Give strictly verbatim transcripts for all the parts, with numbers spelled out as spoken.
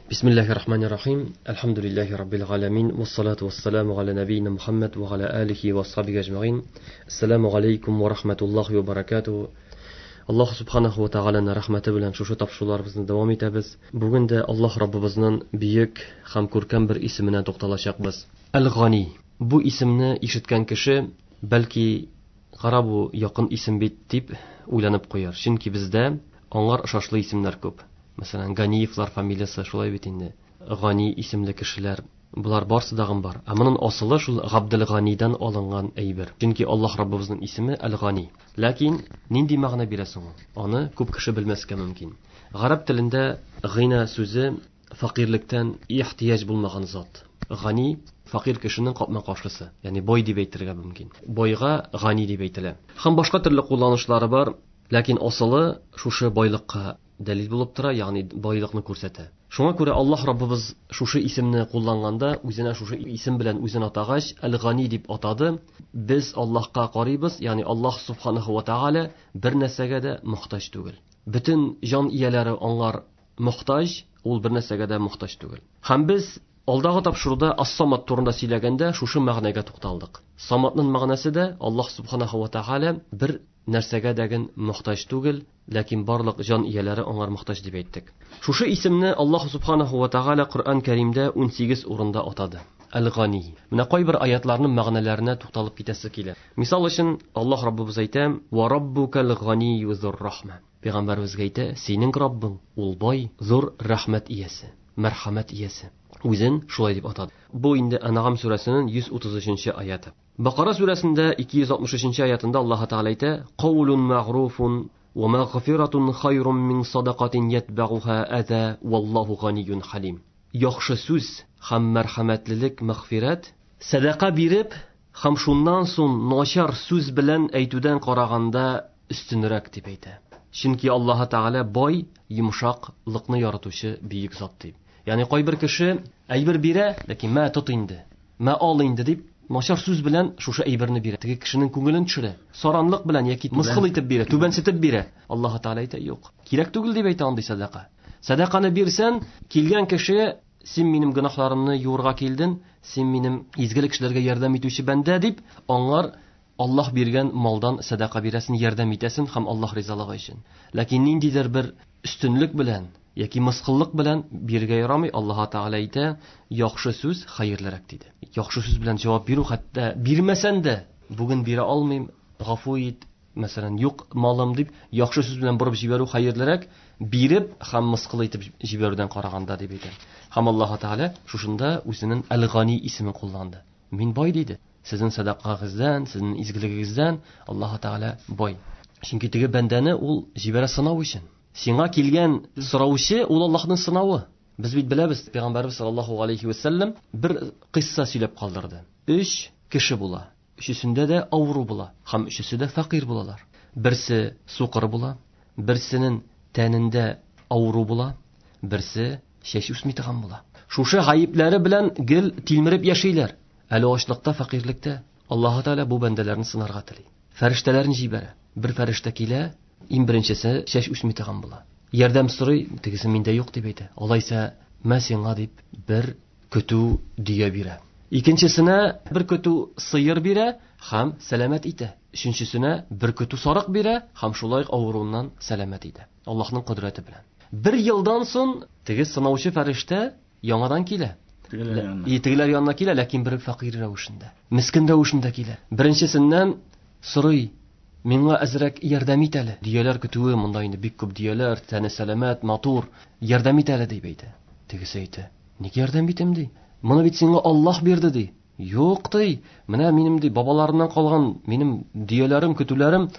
Бисмиллахи рахмани рахим. Әлхәмдүлилләһи раббил галәмин. Вассалату вассаламу аля набийна Мухаммад ва аля алихи ва асхабихи ажмаин. Ассаламу алейкум ва рахматуллахи ва баракатуху. Аллаһ субханаху ва тааляның рәхмәте белән шушы тапшыруларыбызны дәвам итәбез. Бүген дә Аллаһ Раббыбызның бөек һәм күркәм бер исеменә тукталачакбыз. Әл-Гани. Бу исемне ишеткән кеше бәлки кара бу якын исем бит дип уйланып куяр. Чөнки бездә аңар ошашлы исемнәр күп. Мәсәлән, Ганиевлар фамилиясе шулай бит инде. Гани исемле кешеләр, булар барсы дагын бар. Ә моның асылы шул Габдел-Ганидан алынган әйбер. Чөнки Аллаһ Раббыбызның исеме Әл-Гани. Ләкин нинди мәгънә бирә соң ул? Аны күп кеше белмәскә мөмкин. Гарәп телендә гына сүзе фәкыйрьлектән ихтыяҗ булмаган зат. Гани фәкыйрь кешенең капма-каршысы, ягъни бай дип әйтергә мөмкин. Байга гани дип әйтелә. Һәм башка төрле кулланышлары бар, ләкин асылы шушы байлыкка дәлил булып тора, ягъни байлыкны күрсәтә. Шуңа күрә Аллаһ Раббыбыз шушы исемне кулланганда, үзенә шушы исем белән үзен атагач, Әл-Гани дип атады. Без Аллаһка карыйбыз, ягъни Аллаһ субханаһу ва тааля бер нәрсәгә дә мохтаҗ түгел. Бөтен җан ияләре аңар мохтаҗ, ул бер нәрсәгә дә мохтаҗ түгел. Һәм без алдагы тапшыруда Ас-Самад турында сөйләгәндә шушы мәгънәгә тукталдык. Самадның мәгънәсе дә Аллаһ субханаһу ва тааля бер нәрсәгә дәген мохтаҗ түгел, ләкин барлык җан ияләре аңар мохтаҗ дип әйттек. Шушы исемне Аллаһ субханаһу ва тааля Коръән Кәримдә ун сигез урында атады. Әл-Гани. Менә кайбер аятларның мәгънәләренә тукталып китәсе килә. Мисал өчен Аллаһ Раббыбыз әйтә: "Ва раббукал ганийю зур рахма". Пәйгамбәребезгә әйтә: "Синең Раббың ул бай, зур рәхмәт иясе, мәрхәмәт иясе". Үзен шулай дип атады. Бу инде Әнъам сүрәсенең йөз утыз өченче аяты. Бакара сүрәсендә ике йөз алтмыш өченче аятында Аллаһ Тәгалә әйтә: "Каулун мәгъруфун ва мәгъфиратун хайрун мин садакатин ятбагуха аза валлаху ганиюн халим". Яхшы сүз һәм мәрхәмәтлелек, мәгъфират, садака биреп һәм шуннан соң начар сүз белән әйтүдән караганда өстенрәк дип әйтә. Чөнки Аллаһ Тәгалә бай, йомшаклыкны яратучы бөек зат дип. Ягъни кайбер кеше әйбер бирә, ләкин мә тот инде, мә ал инде дип начар сүз белән шушы әйберне бирә. Теге кешенең күңелен төшерә. Саранлык белән яки мыскыл итеп бирә, түбәнсетеп бирә. Аллаһ Тәгалә әйтә: "Юк, кирәк түгел" дип әйтә андый садака. Садаканы бирсән, килгән кеше: "Син минем гөнаһларымны юырга килдең, син минем изгелек эшләргә ярдәм итүче бәндә" дип, аңар Аллаһ биргән малдан садака бирәсен, ярдәм итәсен һәм Аллаһ ризалыгы өчен. Ләкин ниндидер бер өстенлек белән яки мыскыллык белән бирергә ярамый. Аллаһ Тәгалә әйтә: "Яхшы сүз хәерлерәк" диде. Яхшы сүз белән җавап бирү, хәтта бирмәсән дә, бүген бирә алмыйм, гафу ит, мәсәлән, юк малым дип, яхшы сүз белән борып җибәрү хәерлерәк, биреп һәм мыскыл итеп җибәрүдән караганда дип әйтә. Һәм Аллаһ Тәгалә шушында үзенең Әл-Гани исемен кулланды. Мин бай диде. Сезнең садакагыздан, сезнең изгелегегездән Аллаһ Тәгалә бай. Чөнки теге бәндәне ул җибәрә сынау өчен. Сиңа килгән сораучы ул Аллаһның сынавы. Без бит беләбез, Пәйгамбәрбез саллаллаһу алейхи ва саллям бер кыйсса сөйләп калдырды. Өч кеше була. Өчесендә дә авыру була һәм өчесе дә фәкыйрь булалар. Берсе сукыр була, берсенең тәнендә авыру була, берсе чәч үсми торган була. Шушы гаепләре белән гел тилмереп яшиләр. Әле ачлыкта, фәкыйрьлектә Аллаһ Тәгалә бу бәндәләрне сынарга тели. Фәрештәләрен җибәрә. Бер фәрештә килә, иң беренчесе чәч үсми торган була. Ярдәм сорый, тегесе миндә юк дип әйтә. Алайса, мә сиңа дип бер көтү дөя бирә. Икенчесенә бер көтү сыер бирә һәм сәламәт итә. Өченчесенә бер көтү сарык бирә һәм шулай ук авыруыннан сәламәт итә. Аллаһның кодрәте белән. Бер елдан соң теге сынаучы фәрештә яңадан килә. Тегеләр янына. И, тегеләр янына килә, ләкин бер фәкыйрь рәвешендә, мискен рәвешендә килә. Беренчесеннән сорый: "Миңа әзрәк ярдәм ит әле. Дөяләр көтүе, монда инде бик күп дөяләр, тәне сәламәт, матур, ярдәм ит әле" дип әйтә. Тегесе әйтә: "Ник ярдәм итәм?" ди. "Моны бит сиңа Аллаһ бирде" ди. "Юк" ди. "Менә минем ди бабаларымнан калган минем дөяләрем, көтүләрем,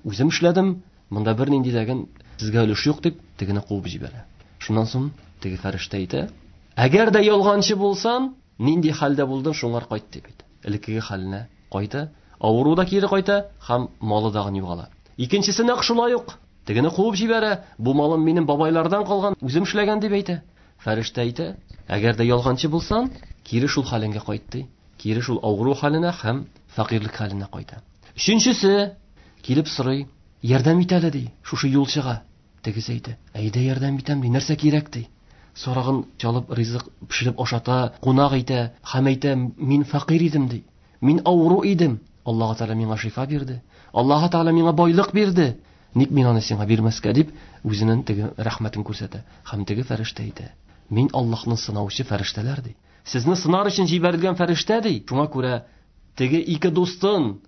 үзем эшләдем. Монда бернинди дәген сезгә өлеш юк" дип тегене куып җибәрә. Шуннан соң теге фәрештә әйтә: "Әгәр дә ялганчы булсаң, нинди хәлдә булдың, шуңар кайт" дип әйтә. Элеккеге хәленә кайта, авыру да кире кайта һәм малы дагы югала. Икенчесе нәкъ шулай ук. Тегене куып җибәрә. Бу малым минем бабайлардан калган, үзем эшләгән дип әйтә. Фәрештә әйтә: "Әгәр дә ялганчы булсаң, кире шул хәлеңгә кайт" ди. Кире шул авыру хәленә һәм фәкыйрьлек хәленә кайта. Өченчесе килеп сорый: "Ярдәм ит әле" ди, шушы юлчыга. Тегесе әйтә: "Әйдә ярдәм итәм" ди, "Нәрсә кирәк?" ди. Сарыгын чалып ризык пешереп ашата, кунак итә һәм әйтә: "Мин фәкыйрь идем", ди. "Мин авыру идем. Аллаһ Тәгалә миңа шифа бирде. Аллаһ Тәгалә миңа байлык бирде. Ник мин аны сиңа бирмәскә?" дип, үзенең теге рәхмәтен күрсәтә. Һәм теге фәрештә әйтә: "Мин Аллаһның сынаучы фәрештәләр", ди. "Сезне сынар өчен җибәрелгән фәрештә", ди. Шуңа күрә теге ике дустын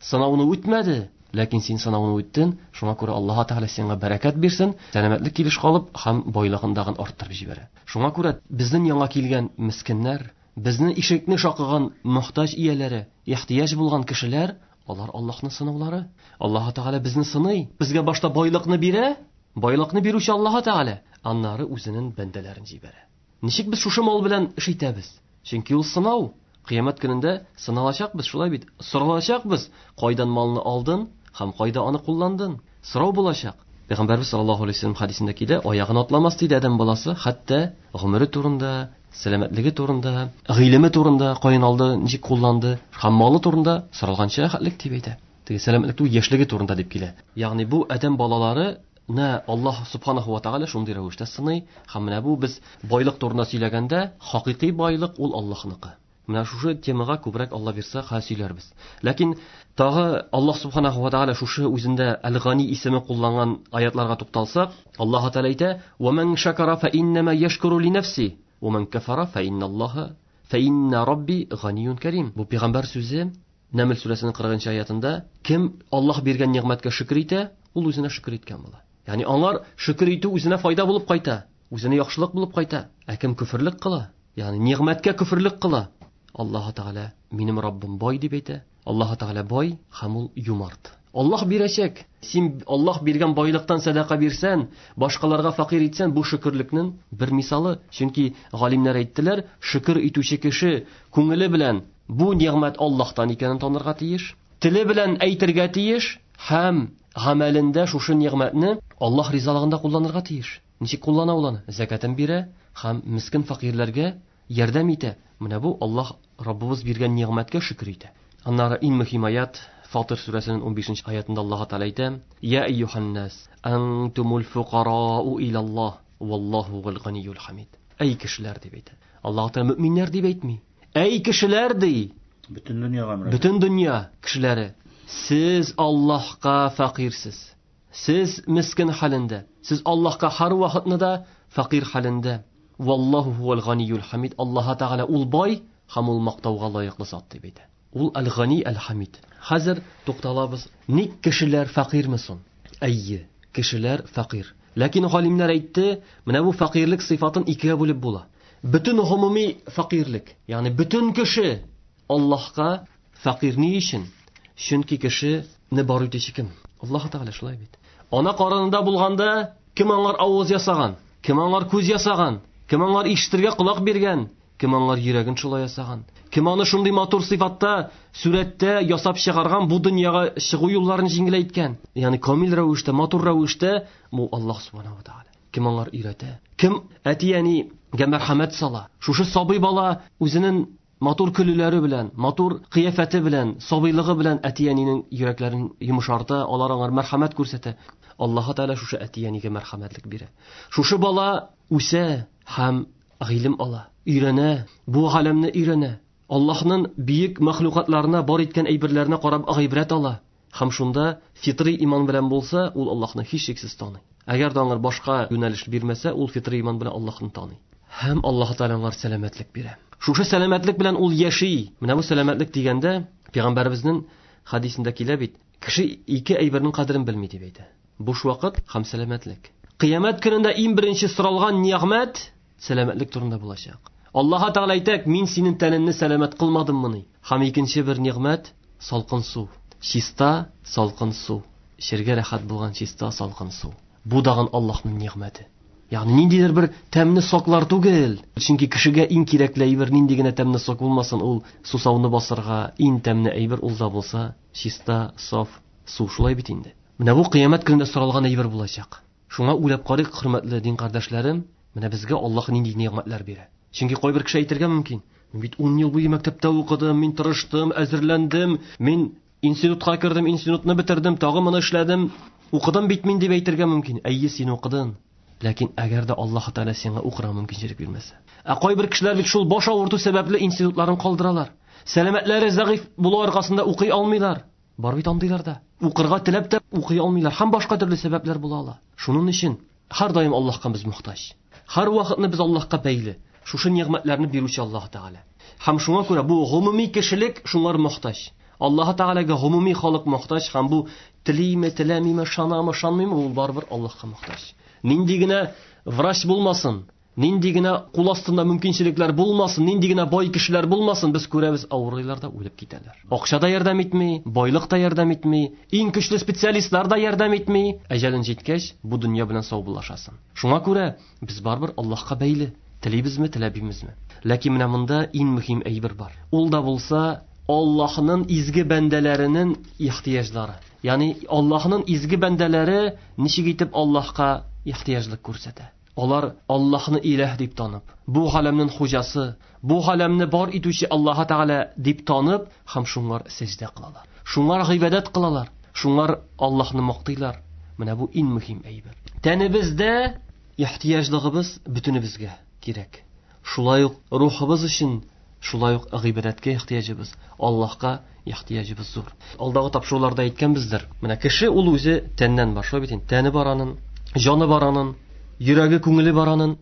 сынауны үтмәде, ләкин син сынауны үттең. Шуңа күрә Аллаһ Тәгалә сиңа бәрәкәт бирсен, сәламәтлек килеш калып һәм байлыгын дагын арттырып җибәрә. Шуңа күрә безнең яңа килгән мискиннәр, безнең ишекне шакыган мохтаҗ ияләре, ихтыяҗ булган кешеләр, алар Аллаһның сынаулары. Аллаһ Тәгалә безне сыный. Безгә башта байлыкны бирә, байлыкны бирүче Аллаһ Тәгалә, аннары үзенең бәндәләрен җибәрә. Ничек без шушы мал белән эш итәбез? Чөнки ул сынау. Кыямәт көнендә сыналачакбыз, шулай бит? Соралачакбыз, кайдан малны алдың һәм кайда аны кулландың? Сорау булачак. Пәйгамбәрбез саллаллаһу алейһи ва сәлләм хәдисендә килә, аягын атламас диде адәм баласы, хәтта гомере турында, сәламәтлеге турында, гыйлеме турында, каян алды, ничек кулланды һәм малы турында соралганча хәтлек дип әйтә. Теге сәламәтлек түгел, яшьлеге турында дип килә. Ягъни бу адәм балалары на Аллаһ субханаһу ва тааля шундый рәвештә сыный. Һәм менә бу без байлык турында сөйләгәндә, хакыйкый байлык ул Аллаһныкы. Менә шушы темага күбрәк Алла бирсә, хәл сөйләрбез. Ләкин тагы Аллаһ субханаһу ва тааля шушы үзендә Әл-Гани исеме кулланган аятларга тукталсак, Аллаһ Тааля әйтә: "Ва ман шакара фа иннама яшкуру ли нафси, ва ман кафара фа инналлаһа фа инна рабби ганиюн карим." Бу пәйгамбәр сүзе Нәмл сүрәсенең кырыгынчы аятында, кем Аллаһ биргән нигъмәткә шөкер итә, ул үзенә шөкер иткән була. Ягъни аңар шөкер итү үзенә файда булып кайта, үзенә яхшылык булып кайта. Ә кем күферлек кыла, ягъни нигъмәткә күферлек кыла, Аллаһ Тәгалә минем Раббым бай дип әйтә. Аллаһ Тәгалә бай һәм ул юмарт. Аллаһ бирәчәк. Син Аллаһ биргән байлыктан сәдака бирсән, башкаларга фәкыйрь итсән, бу шөкерлекнең бер мисалы. Чөнки галимнәр әйттеләр, шөкер итүче кеше күңеле белән бу нигъмәт Аллаһтан икәнен танырга тиеш, теле белән әйтергә тиеш һәм гамәлендә шушы нигъмәтне Аллаһ ризалыгында кулланырга тиеш. Ничек куллана ул аны? Зәкәтен бирә һәм мискин фәкыйрьләргә ярдәм итә. Менә бу Аллаһ Раббыбыз биргән нигъмәткә шөкер итә. Аннары иң мөһим аят Фатир сүрәсенең унбишенче аятында Аллаһ Тәгалә әйтә: "Я әйюһан-нас, антумул фукарау илаллаһ, валлаһу гал-ганиюл хамид." Әй кешеләр дип әйтә. Аллаһ Тәгалә мөминнәр дип әйтми. Әй кешеләр ди. Бөтен дөньяга мөрәҗәгать. Бөтен дөнья кешеләре, сез Аллаһка фәкыйрьсез. Сез мискин хәлендә. Сез Аллаһка һәр вакытны да фәкыйрь хәлендә. Валлаһу хуал ганиюл хамид. Аллаһ Тәгалә ул бай һәм ул мактауга лаеклы зат дип әйтә. Ул әл-Гани әл-Хамид. Хәзер тукталабыз. Ник кешеләр фәкыйрьме соң? Әйе, кешеләр фәкыйрь. Ләкин галимнәр әйтте, менә бу фәкыйрьлек сыйфатын икегә бүлеп була. Бөтен гомуми фәкыйрьлек, ягъни бөтен кеше Аллаһка фәкыйрь ни өчен? Чөнки кешене бар итүче кем? Аллаһ Тәгалә, шулай бит. Ана карынында булганда кем аңар авыз ясаган? Кем аңар күз ясаган? Кем аңар ишетергә колак биргән? Кем аңар йөрәген шулай ясаган? Кем аны шундый матур сыйфатта, сүрәттә ясап чыгарган, бу дөньяга чыгу юлларын җиңеләйткән? Ягъни камил рәвештә, матур рәвештә бу Аллаһ субханаһу ва тааля. Кем аңар өйрәтә? Кем әти-әнигә мәрхәмәт сала? Шушы сабый бала үзенең матур көлүләре белән, матур кыяфәте белән, сабыйлыгы белән әти-әнинең йөрәкләрен йомшарта, алар аңар мәрхәмәт күрсәтә. Аллаһ Тәгалә шушы әти-әнигә мәрхәмәтлек бирә. Шушы бала үсә һәм гыйлем ала, өйрәнә, бу галәмне өйрәнә. Аллаһның бөек мәхлукатларына, бар иткән әйберләренә карап гыйбрәт ала. Һәм шунда фитри иман белән булса, ул Аллаһны һичшиксез таный. Әгәр дә аңар башка юнәлеш бирмәсә, ул фитри иман белән Аллаһны таный. Һәм Аллаһ Тәгалә аңар сәламәтлек бирә. Шушы сәламәтлек белән ул яши. Менә бу сәламәтлек дигәндә, пәйгамбәребезнең хәдисендә килә бит, кеше ике әйбернең кадерен белми дип әйтә. Буш вакыт һәм сәламәтлек. Кыямәт көнендә иң беренче соралган нигъмәт сәламәтлек турында булачак. Аллаһ Тәгалә әйтә, мин синең тәнеңне сәламәт кылмадыммыни? Һәм икенче бер нигъмәт салкын су. Чиста салкын су. Эчәргә рәхәт булган чиста салкын су. Бу дагын Аллаһның нигъмәте. Ягъни ниндидер бер тәмле соклар түгел. Чөнки кешегә иң кирәкле әйбер нинди генә тәмле сок булмасын, ул сусауны басырга иң тәмле әйбер ул да булса чиста, саф су, шулай бит инде. Менә бу кыямәт көнендә соралган әйбер булачак. Шуңа уйлап карыйк, хөрмәтле дин кардәшләрем, менә безгә Аллаһ нинди нигъмәтләр бирә. Чөнки кайбер кеше әйтергә мөмкин, мин бит ун ел буе мәктәптә укыдым, мин тырыштым, әзерләндем, мин институтка кердем, институтны бетердем, тагы моны эшләдем, укыдым бит мин дип әйтергә мөмкин. Әйе, син укыдың. Ләкин әгәр дә Аллаһ Тәгалә сиңа укырга мөмкинчелек бирмәсә. Ә кайбер кешеләр бит шул баш авырту сәбәпле институтларын калдыралар. Сәламәтләре зәгыйфь булу аркасында укый алмыйлар. Бар бит андыйлар да. Укырга теләп тә укый алмыйлар. Һәм башка төрле сәбәпләр була ала. Шуның өчен һәр даим Аллаһка без мохтаҗ. Һәр вакытны без Аллаһка бәйле. Шушы нигъмәтләрне бирүче Аллаһ Тәгалә. Һәм шуңа күрә бу гомуми кешелек шуңар мохтаҗ. Аллаһ Тәгаләгә гомуми халык мохтаҗ һәм бу телиме, теләмиме, ышанамы, ышанмыймы, ул барыбер Аллаһка мохтаҗ. Нинди генә врач булмасын, нинди генә кул астында мөмкинчелекләр булмасын, нинди генә бай кешеләр булмасын, без күрәбез, авырыйлар да үлеп китәләр. Акча да ярдәм итми, байлык та ярдәм итми, иң көчле специалистлар да ярдәм итми. Әҗәлен җиткәч, бу дөнья белән саубуллашасың. Шуңа күрә без барыбер Аллаһка бәйле. Телибезме, теләмибезме? Ләкин менә монда иң мөһим әйбер бар. Ул да булса Аллаһның изге бәндәләренең ихтыяҗлары. Ягъни Аллаһның изге бәндәләре ничек итеп Аллаһка ихтыяҗлык күрсәтә. Алар Аллаһны иләһ дип танып, бу галәмнең хуҗасы, бу галәмне бар итүче Аллаһ Тәгалә дип танып, һәм шуңар сәҗдә кылалар. Шуңар гыйбадәт кылалар, шуңар Аллаһны мактыйлар. Менә бу иң мөһим әйбер. Тәнебездә ихтыяҗлыгыбыз бөтенебезгә кирәк. Шулай ук рухыбыз өчен, шулай ук гыйбадәткә ихтыяҗыбыз, Аллаһка ихтыяҗыбыз зур. Алдагы тапшыруларда әйткәнбездер. Менә кеше ул үзе тәннән бар, шулай бит инде. Тәне бар аның, җаны бар аның, йөрәге, күңеле бар аның.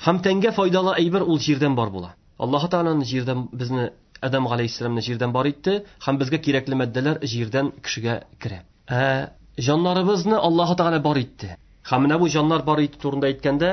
Һәм тәнгә файдалы әйбер ул җирдән бар була. Аллаһ Тәгаләнең җирдән безне Адам галәйһиссәламны җирдән бар итте, һәм безгә кирәкле матдәләр җирдән кешегә керә. Ә җаннарыбызны Аллаһ Тәгалә бар итте. Һәм менә бу җаннар бар итү турында әйткәндә,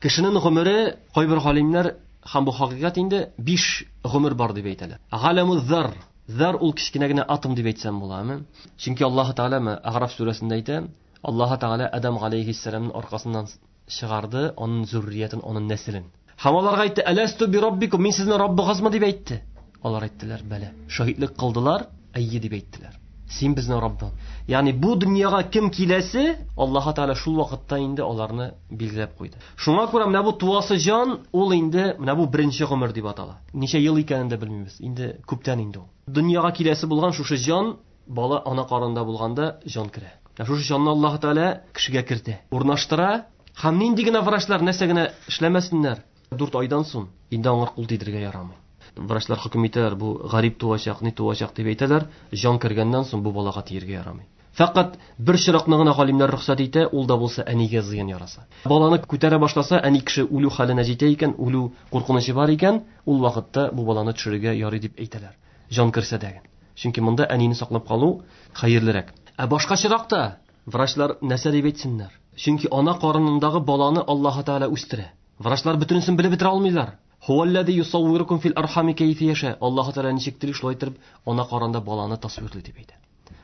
кешенең гомере кайбер галимнәр һәм бу хакыйкать инде биш гомер бар дип әйтәләр. Галәму зар, зар ул кечкенә генә атом дип әйтсәм буламы? Чөнки Аллаһ Тәгалә Аграф сүрәсендә әйтә, Аллаһ Тәгалә Адам галәйһиссәламның аркасыннан чыгарды аның зурриятен, аның нәселен. Һәм аларга әйтте: "Әләсту би раббикум, мин сезнең Раббыгызмы?" дип әйтте. Алар әйттеләр: "Бәлә." Шаһитлек кылдылар, әйе дип әйттеләр. Син безнең Раббың. Ягъни бу дөньяга кем киләсе, Аллаһ Тәгалә шул вакытта инде аларны билгеләп куйды. Шуңа күрә менә бу туасы җан, ул инде менә бу беренче гомер дип атала. Ничә ел икәнен дә белмибез. Инде күптән инде ул. Дөньяга киләсе булган шушы җан, бала ана карынында булганда җан керә. Шушы җанны Аллаһ Тәгалә кешегә кертә, урнаштыра. Һәм нинди генә врачлар нәрсә генә эшләмәсеннәр, дүрт айдан соң инде аңа кул тидерергә ярамый. Врачлар хөкем итәләр, бу гарип туачак, ни туачак дип әйтәләр, җан кергәннән соң бу балага тиергә ярамый. Фәкать бер чиракны гына галимнәр рөхсәт итә, ул да булса әнигә зыян яраса. Баланы күтәрә башласа, әни кеше үлү хәленә җитә икән, үлү куркынычы бар икән, ул вакытта бу баланы төшерергә ярый дип әйтәләр. Җан керсә дә. Чөнки монда әнине саклап калу хәерлерәк. Ә башка чиракта врачлар нәрсә дип әйтсеннәр? Чөнки ана карынындагы баланы Аллаһ Тәгалә үстерә. Врачлар бөтенесен белеп бетерә алмыйлар. Хуаллади юсаввирукум фил архами кайфа яша. Аллаһ Тәгалә ничек тели шулай итеп ана карында баланы тасвирлый дип әйтә.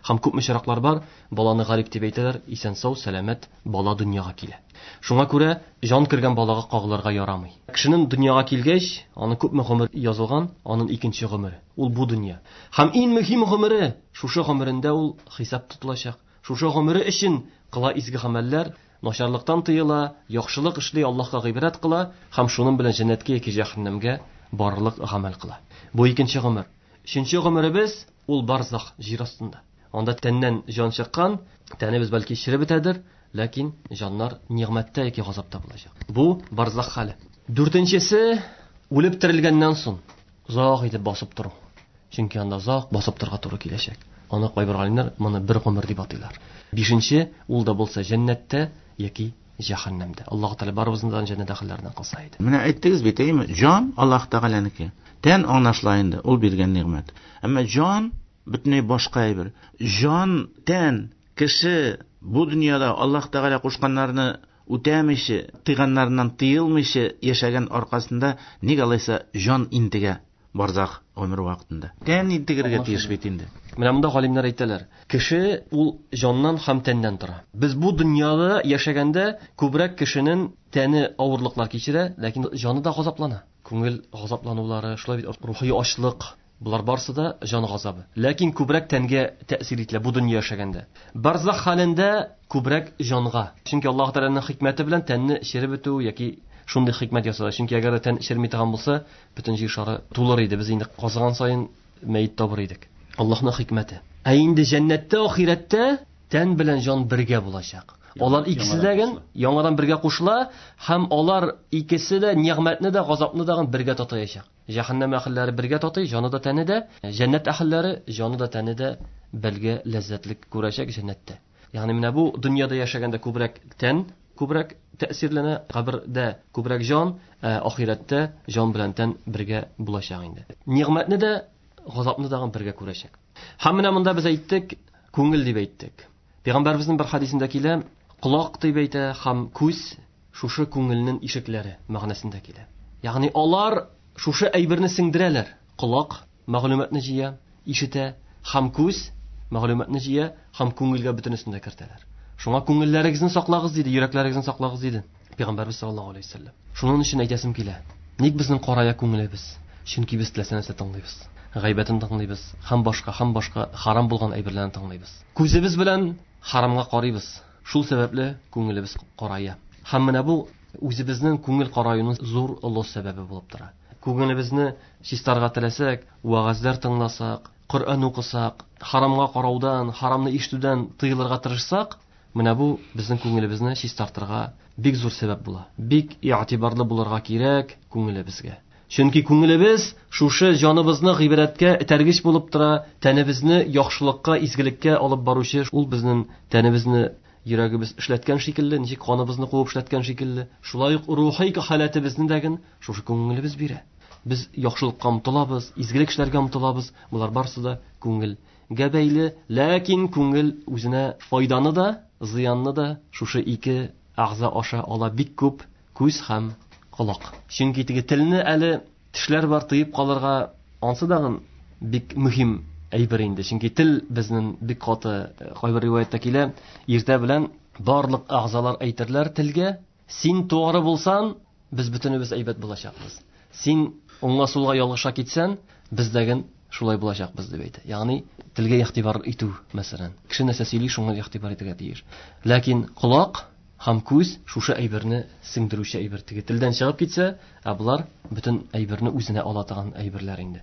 Һәм күпме чираклар бар, баланы гарип дип әйтәләр, исән сау, сәламәт бала дөньяга килә. Шуңа күрә җан кергән балага кагылырга ярамый. Кешенең дөньяга килгәч, аны күпме гомер язылган, аның икенче гомере. Ул бу дөнья. Һәм иң мөһим гомере, шушы гомерендә ул хисап тотылачак. Шушы гомере өчен кыла изге гамәлләр, начарлыктан тыела, яхшылык эшли, Аллаһка гыйбадәт кыла һәм шуның белән җәннәткә яки җәһәннәмгә барырлык гамәл кыла. Бу икенче гомер. Өченче гомеребез ул барзах, җир астында. Анда тәннән җан чыккан, тәнебез бәлки череп бетәдер, ләкин җаннар нигъмәттә яки газапта булачак. Бу барзах хәле. Дүртенчесе үлеп терелгәннән соң озак итеп басып тору. Чөнки анда озак басып торырга туры киләчәк. Аны кайбер галимнәр моны бер гомер дип атыйлар. Бишенче, ул да булса җәннәттә яки җәһәннәмдә. Аллаһ Тәгалә барыбызны да җәннәт әһелләреннән кылса иде. Менә әйттегез бит, әйеме? Җан Аллаһ Тәгаләнеке. Тән аңлашыла инде, ул биргән нигъмәт. Әмма җан бөтенләй башка әйбер. Җан, тән, кеше бу дөньяда Аллаһ Тәгалә кушканнарны үтәмичә, тыйганнарыннан тыелмыйча яшәгән аркасында ник алайса җан интегә барзах гомер вакытында. Тән интегергә тиеш бит инде. Менә монда галимнәр әйтәләр, кеше ул җаннан һәм тәннән тора. Без бу дөньяда яшәгәндә күбрәк кешенең тәне авырлыклар кичерә, ләкин җаны да газаплана. Күңел газапланулары, шулай бит, рухи ачлык, булар барсы да җан газабы. Ләкин күбрәк тәнгә тәэсир ителә бу дөнья яшәгәндә. Барзах хәлендә күбрәк җанга. Чөнки Аллаһ Тәгаләнең хикмәте белән тәнне череп бетү яки шундый хикмәт ясала. Чөнки әгәр дә тән черми торган булса, бөтен җир шары тулыр иде. Без инде казыган саен мәет табыр идек. Аллаһның хикмәте. Ә инде җәннәттә, ахирәттә тән белән җан бергә булачак. Алар икесе дә яңадан бергә кушыла һәм алар икесе дә нигъмәтне дә, газапны да бергә татыячак. Җәһәннәм әһелләре бергә татый, җаны да тәне дә, җәннәт әһелләре җаны да тәне дә бергә ләззәтлек күрәчәк җәннәттә. Ягъни менә бу дөньяда яшәгәндә күбрәк тән күбрәк тәэсирләнә, кабердә күбрәк җан, ә ахирәттә җан белән тән бергә булачак инде. Нигъмәтне дә, газапны да бергә күрәчәк. Һәм менә монда без әйттек, күңел дип әйттек. Пәйгамбәребезнең бер хадисендә килә, колак дип әйтә һәм күз шушы күңелнең ишекләре мәгънәсендә килә. Ягъни алар шушы әйберне сеңдерәләр. Колак мәгълүматны җыя, ишетә, һәм күз мәгълүматны җыя, һәм күңелгә бөтенесен дә кертәләр. Шуңа күңелләрегезне саклагыз диде, йөрәкләрегезне саклагыз диде Пәйгамбәребез саллаллаһу алейһи вәсәлләм. Шуның өчен әйтәсем килә. Ник безнең карая күңелебез? Чөнки без теләсә нәрсә тыңлыйбыз. Гайбәтен тыңлыйбыз, һәм башка, һәм башка харам булган әйберләрне тыңлыйбыз. Күзебез белән харамга карыйбыз. Шул сәбәпле күңелебез карая. Һәм менә бу үзебезнең күңел караюның зур олы сәбәбе булып тора. Күңелебезне чистарга теләсәк, вәгазьләр тыңласак, Коръән укысак, харамга караудан, харамны ишетүдән тыелырга тырышсак, менә бу безнең күңелебезне чистартырга бик зур сәбәп була. Бик игътибарлы булырга кирәк күңелебезгә. Чөнки күңелебез шушы җаныбызны гыйбадәткә этәргеч булып тора, тәнебезне яхшылыкка, изгелеккә алып баручы, ул безнең тәнебезне йөрәгебез эшләткән шикелле, ничек каныбызны куып эшләткән шикелле, шулай ук рухи халәтебезне дә шушы күңелебез бирә. Без яхшылыкка омтылабыз, изгелек эшләргә омтылабыз. Болар барысы да күңелгә бәйле, ләкин күңел үзенә файданы да, зыянны да шушы ике әгъза аша ала бик күп, күз һәм колак. Чөнки теге телне әле тешләр бар тыеп калырга, ансы дагын бик мөһим әйбер инде. Чөнки тел безнең бик каты, кайбер риваятьтә килә, иртә белән барлык әгъзалар әйтерләр телгә: син тугры булсан, без бөтенебез әйбәт булачакбыз. Син уңга сулга ялгыша китсән, без дәген шулай булачакбыз дип әйтә. Ягъни телгә игътибар итү, мәсәлән. Кеше нәрсә сөйли, шуңа игътибар итәргә тиеш. Ләкин колак һәм күз шушы әйберне сеңдерүче әйбер. Теге телдән чыгып китсә, ә болар бөтен әйберне үзенә ала торган әйберләр инде.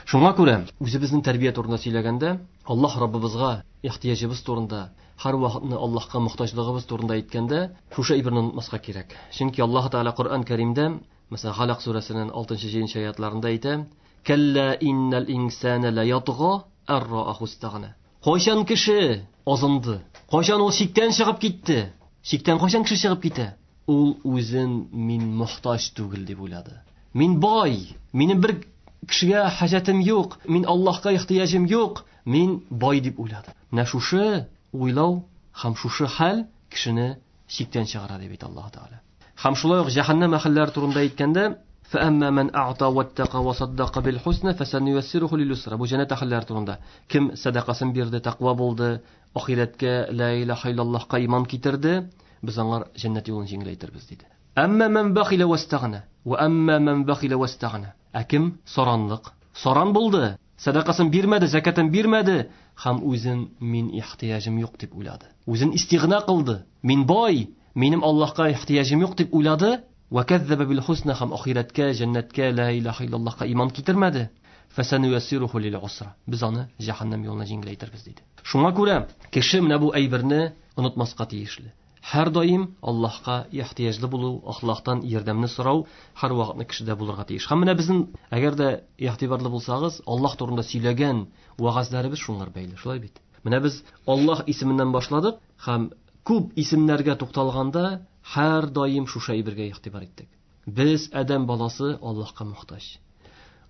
Шуңа күрә үзебезнең тәрбия турында сөйләгәндә, Аллаһ Раббыбызга ихтыяҗыбыз турында, һәр вакытны Аллаһка мохтаҗлыгыбыз турында әйткәндә, шушы әйберне онытмаска кирәк. Чөнки Аллаһ Тәгалә Коръән Кәримдә, мәсәлән, Халак сүрәсенең алтынчы җиденче аятларында әйтә: "Кәллә иннал инсана ла ятга ар-рааху истагна." Кайчан кеше азынды? Кайчан ул чиктән чыгып китте? Чиктән кайчан кеше чыгып китә? Ул үзен мин мохтаҗ түгел дип уйлады. Мин бай, минем бер кешегә хаҗәтем юк, мин Аллаһка ихтыяҗым юк, мин бай дип уйлады. Менә шушы уйлау һәм шушы хәл кешене чиктән чыгара дип әйтә Аллаһ Тәгалә. Һәм шулай ук җәһәннәм әһелләре турында әйткәндә, فَأَمَّا مَنْ أَعْطَى وَاتَّقَى وَصَدَّقَ بِالْحُسْنَى فَسَنُيَسِّرُهُ لِلْيُسْرَى. Бу җәннәт әһелләре турында. Кем сәдакасын бирде, тәкъва булды, ахирәткә, ла илаһа иллаллаһка иман китерде, без аңар җәннәт юлын җиңеләйтербез диде. Әмма ман бахила вастагна ва әмма ман бахила вастагна. Ә кем саранлык, саран булды, сәдакасын бирмәде, закатын бирмәде һәм үзен мин ихтыяҗым юк дип уйлады. Үзен истигъна кылды. Мин бай, минем Аллаһка ихтыяҗым юк дип уйлады. Ва кәззәбә бил хусна һәм ахирәткә, җәннәткә, ла илаһа иллаллаһка иман китермәде. Фәсәнуяссируху лил усра. Без аны җәһәннәм юлына җиңеләйтербез диде. Шуңа күрә кеше менә бу әйберне онытмаска тиешле. Һәр даим Аллаһка ихтыяҗлы булу, Аллаһтан ярдәмне сорау һәр вакытны кешедә булырга тиеш. Һәм менә безнең, әгәр дә игътибарлы булсагыз, Аллаһ турында сөйләгән вәгазьләребез шуңар бәйле, шулай бит. Менә без Аллаһ исеменнән башладык һәм күп исемнәргә тукталганда һәр даим шушы әйбергә игътибар иттек. Без адәм баласы Аллаһка мохтаҗ.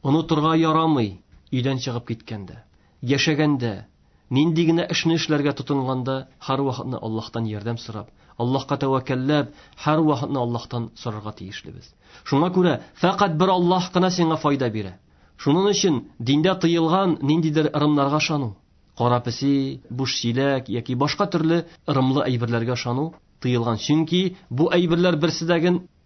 Онытырга ярамый, өйдән чыгып киткәндә, яшәгәндә, нинди генә эшне эшләргә тотынганда һәр вакытны Аллаһтан ярдәм сорап, Аллаһка тәвәккәлләп, һәр вакытны Аллаһтан сорарга тиешлебез. Шуңа күрә фәкать бер Аллаһ кына сиңа файда бирә. Шуның өчен диндә тыелган ниндидер ырымнарга ышану, кара песи, буш чиләк яки башка төрле ырымлы әйберләргә ышану тыелган. Чөнки бу әйберләр берсе дә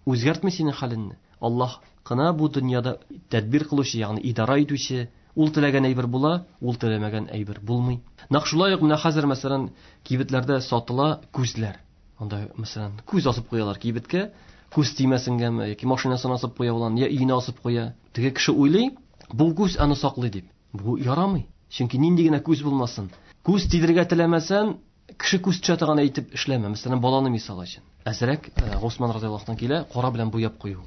үзгәртми синең хәлеңне. Аллаһ кына бу дөньяда тәдбир кылучы, ягъни идара итүче, ул теләгән әйбер була, ул теләмәгән әйбер булмый. Нәкъ шулай ук менә хәзер, мәсәлән, кибетләрдә сатыла күзләр. Анда, мәсәлән, күз асып куялар кибеткә, күз тимәсенгәме яки машинасын асып куя улан, я өенә асып куя. Теге кеше уйлый, бу күз аны саклый дип. Бу ярамый. Чөнки нинди генә күз булмасын, күз тидерергә теләмәсән, Кеше күз төшә торган әйтеп эшләмә. Мәсәлән, баланы мисал өчен. Әзрәк Госман разыяллаһу анһу килә, кара белән буяп кую.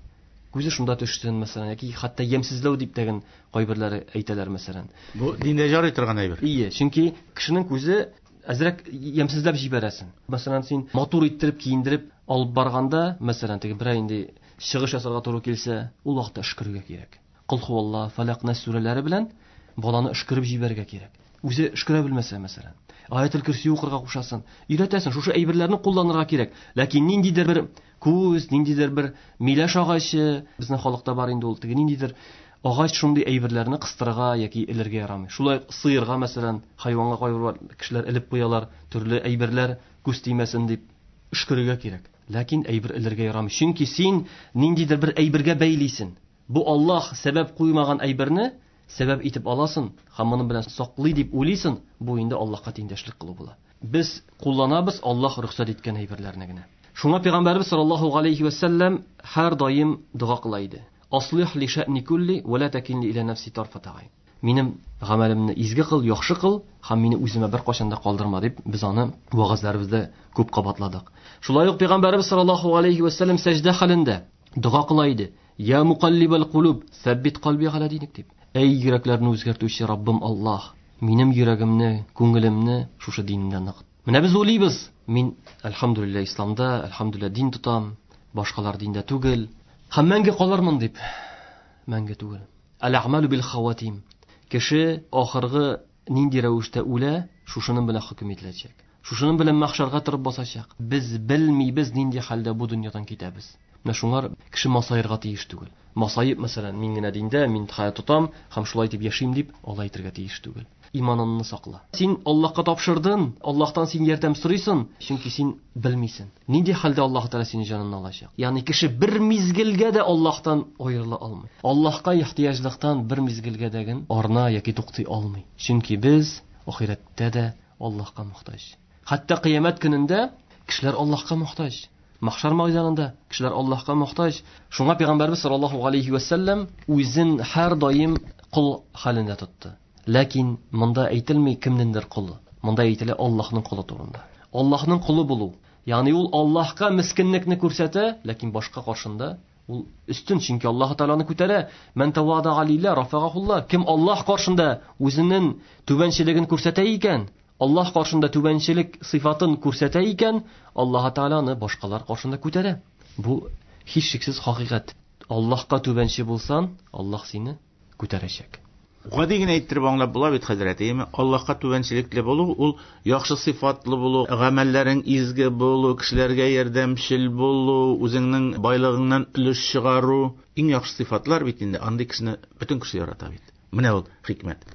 Күзе шунда төшсен, мәсәлән, яки хәтта ямьсезләү дип тәген кайберләре әйтәләр, мәсәлән. Бу диндә жарый торган әйбер. Ие, чөнки кешенең күзе әзрәк ямьсезләп җибәрәсен. Мәсәлән, син матур иттереп киендереп алып барганда, мәсәлән, теге берәй инде чыгыш ясарга туры килсә, ул вакытта өшкерергә кирәк. Кул хуалла, Фалак, Нас сүрәләре белән баланы өшкереп җибәрергә кирәк. Үзе өшкерә белмәсә, мәсәлән, Аятел Көрси укырга кушасың, өйрәтәсең, шушы әйберләрне кулланырга кирәк. Ләкин ниндидер бер күз, ниндидер бер миләш агачы, безнең халыкта бар инде ул, теге ниндидер агач шундый әйберләрне кыстырырга яки элергә ярамый. Шулай сыерга, мәсәлән, хайванга кайбер кешеләр элеп куялар, төрле әйберләр күз тимәсен дип өшкерергә кирәк. Ләкин әйбер элергә ярамый. Чөнки син ниндидер бер әйбергә бәйлисең. Бу Аллаһ сәбәп куймаган әйберне сәбәп итеп аласың һәм моның белән саклый дип уйлыйсың, бу инде Аллаһка тиңдәшлек кылу була. Без кулланабыз Аллаһ рөхсәт иткән әйберләрне генә. Шуңа Пәйгамбәрбез саллаллаһу алейхи ва сәлләм һәр даим дога кыла иде. Аслих ли шәъни кулли ва ла такилни иля нафси тарфата гайн. Минем гамәлемне изге кыл, яхшы кыл һәм мине үземә бер кашан да калдырма дип без аны вагазларыбызда күп кабатладык. Шулай ук Пәйгамбәрбез саллаллаһу алейхи ва сәлләм сәҗдә хәлендә дога кыла иде. Я мукаллибал кулуб, сәббит калби аля диник дип. Эй йөрәкләрне үзгәртүче Раббым Аллаһ, минем йөрәгемне, күңелемне шушы диндә ныгыт. Менә без уйлыйбыз, мин әлхәмдүлилләһ исламда, әлхәмдүлилләһ дин тотам, башкалар диндә түгел, һәм мәңге калырмын дип. Мәңге түгел. Әл-әгъмалу бил хаватим. Кеше ахыргы нинди рәвештә үлә, шушының белән хөкем ителәчәк. Шушының белән мәхшәргә торып басачак. Без белмибез нинди хәлдә бу дөньядан китәбез. Менә шуңар кеше масаерга тиеш түгел. Масаеп, мәсәлән, мин генә диндә, мин хәят тотам һәм шулай дип яшим дип алай әйтергә тиеш түгел. Иманыңны сакла. Син Аллаһка тапшырдың, Аллаһтан син ярдәм сорыйсың, чөнки син белмисең нинди хәлдә Аллаһ Тәгалә сине җанына алачак. Ягъни кеше бер мизгелгә дә Аллаһтан аерыла алмый. Аллаһка ихтыяҗлыктан бер мизгелгә дә генә арына яки туктый алмый. Чөнки без ахирәттә дә Аллаһка мохтаҗ. Хәтта кыямәт көнендә кешеләр Аллаһка мохтаҗ. Мәхшәр мәйданында кешеләр Аллаһка мохтаҗ. Шуңа Пәйгамбәрбез саллаллаһу алейхи ва сәлләм үзен һәр даим кол хәлендә тотты. Ләкин монда әйтелми кемнеңдер колы. Монда әйтелә Аллаһның колы турында. Аллаһның колы булу, ягъни ул Аллаһка мискинлекне күрсәтә, ләкин башка каршында ул өстен, чөнки Аллаһ Тәгаләне күтәрә. Мән тавада лилла рафагахулла. Кем Аллаһ каршында үзенең түбәнчелеген күрсәтә икән, Аллаһ каршында түбәнчелек сыйфатын күрсәтә икән, Аллаһ Тәгаләне башкалар каршында күтәрә. Бу һичшиксез хакыйкать. Аллаһка түбәнче булсан, Аллаһ сине күтәрәчәк. Гади генә әйттереп аңлап була бит, хәзрәт, әйеме? Аллаһка түбәнчелекле булу, ул яхшы сыйфатлы булу, гамәлләрең изге булу, кешеләргә ярдәмчел булу, үзеңнең байлыгыңнан өлеш чыгару, иң яхшы сыйфатлар бит инде. Андый кешене бөтен кеше ярата бит. Менә ул хикмәт.